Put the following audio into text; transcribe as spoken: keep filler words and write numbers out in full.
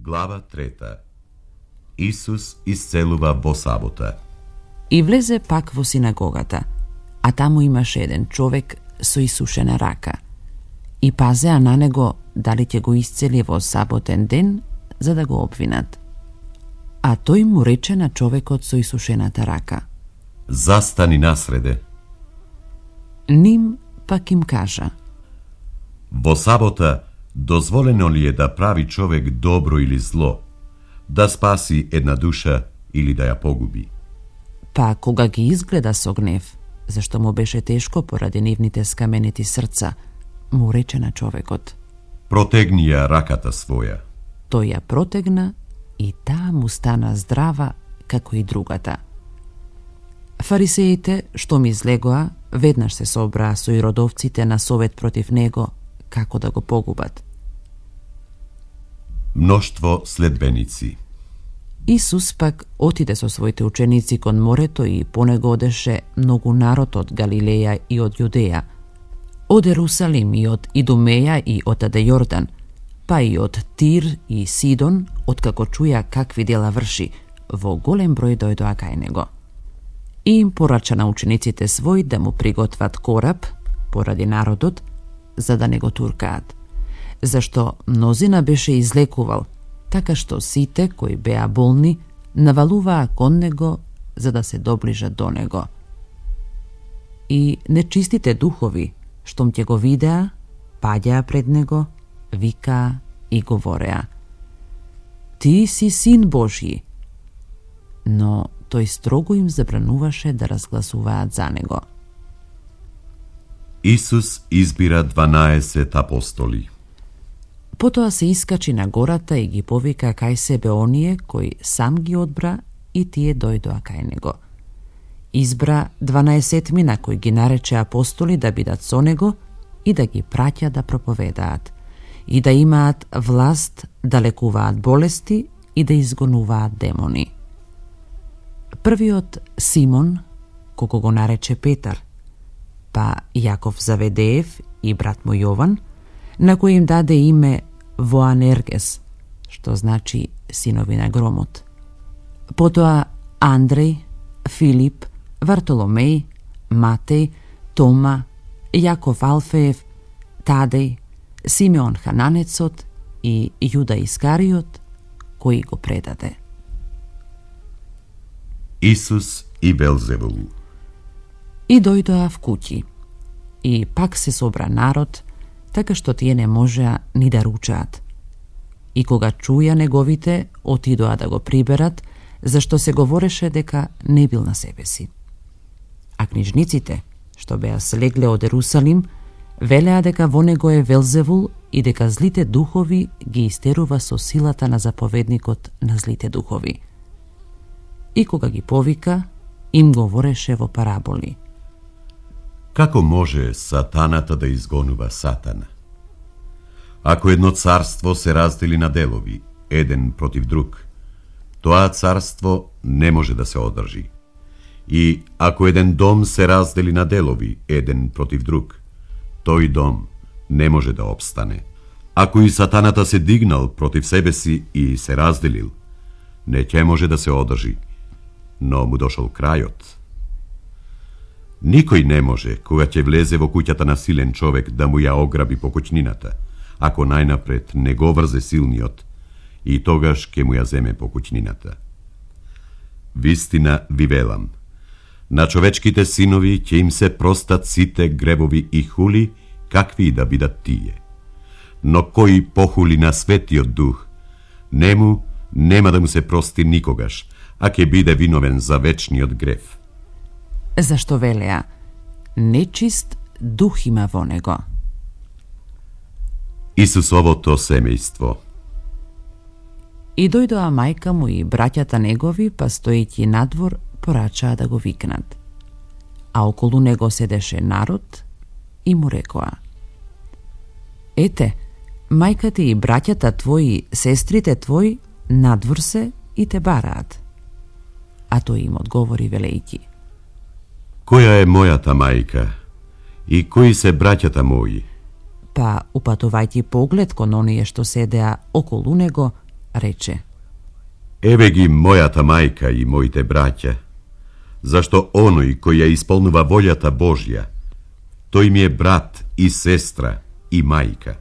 Глава трета. Исус исцелува во сабота. И влезе пак во синагогата, а таму имаше еден човек со исушена рака. И пазеа на него дали ќе го исцели во саботен ден, за да го обвинат. А тој му рече на човекот со исушената рака: Застани насреде. Ним пак им кажа: Во сабота дозволено ли е да прави човек добро или зло, да спаси една душа или да ја погуби? Па кога ги изгледа со гнев, зашто му беше тешко поради нивните скаменети срца, му рече на човекот: Протегни ја раката своја. Тој ја протегна и таа му стана здрава како и другата. Фарисеите, што ми излегоа, веднаш се собраа со иродовците на совет против него, како да го погубат. Мноштво следбеници. Исус пак отиде со своите ученици кон морето и по него одеше многу народ од Галилеја и од Јудеја, од Ерусалим и од Идумеја и од Аде Јордан, па и од Тир и Сидон, откако чуја какви дела врши, во голем број дојдоа кај него. И им порача на учениците свој да му приготват кораб, поради народот, за да не го туркаат, зашто мнозина беше излекувал, така што сите кои беа болни навалуваа кон него за да се доближат до него. И нечистите духови, штом ќе го видеа, паѓаа пред него, викаа и говореа: Ти си син Божји. Но тој строго им забрануваше да разгласуваат за него. Исус избира дванаесет апостоли. Потоа се искачи на гората и ги повика кај себе оние кои сам ги одбра и тие дојдоа кај него. Избра дванаесетмина кои ги нарече апостоли да бидат со него и да ги праќа да проповедаат и да имаат власт да лекуваат болести и да изгонуваат демони. Првиот Симон, кого го нарече Петар, па Јаков Заведеев и брат му Јован, на кој им даде име Воанергес, што значи синови на громот. Потоа Андреј, Филип, Вартоломеј, Матеј, Тома, Јаков Алфеев, Тадеј, Симеон Хананецот и Јуда Искариот, кој го предаде. Исус и Велзевул. И дојдоа в куќи, и пак се собра народ, така што тие не можеа ни да ручаат. И кога чуја неговите, отидоа да го приберат, зашто се говореше дека не бил на себе си. А книжниците, што беа слегле од Ерусалим, велеа дека во него е Велзевул и дека злите духови ги истерува со силата на заповедникот на злите духови. И кога ги повика, им говореше во параболи. Како може сатаната да изгонува сатана? Ако едно царство се раздели на делови, еден против друг, тоа царство не може да се одржи. И ако еден дом се раздели на делови, еден против друг, тој дом не може да обстане. Ако и сатаната се дигнал против себе си и се разделил, не ќе може да се одржи, но му дошол крајот. Никој не може, кога ќе влезе во куќата на силен човек, да му ја ограби покуќнината, ако најнапред не го врзе силниот, и тогаш ќе му ја земе покуќнината. Вистина ви велам, на човечките синови ќе им се простат сите гребови и хули, какви и да бидат тие. Но кој похули на Светиот Дух, нему нема да му се прости никогаш, а ќе биде виновен за вечниот грев. Зашто велеа: нечист дух има во него. Исусовото семејство. И дојдоа мајка му и браќата негови, па стоејќи надвор, порачаа да го викнат. А околу него седеше народ и му рекоа: Ете, мајката и браќата твои, сестрите твои, надвор се и те бараат. А тој им одговори велејќи: Која е мојата мајка и кои се браќата мои? Па, упатувајќи поглед кон оние што седеа околу него, рече: Еве ги мојата мајка и моите браќа, зашто оној кој ја исполнува волјата Божја, тој ми е брат и сестра и мајка.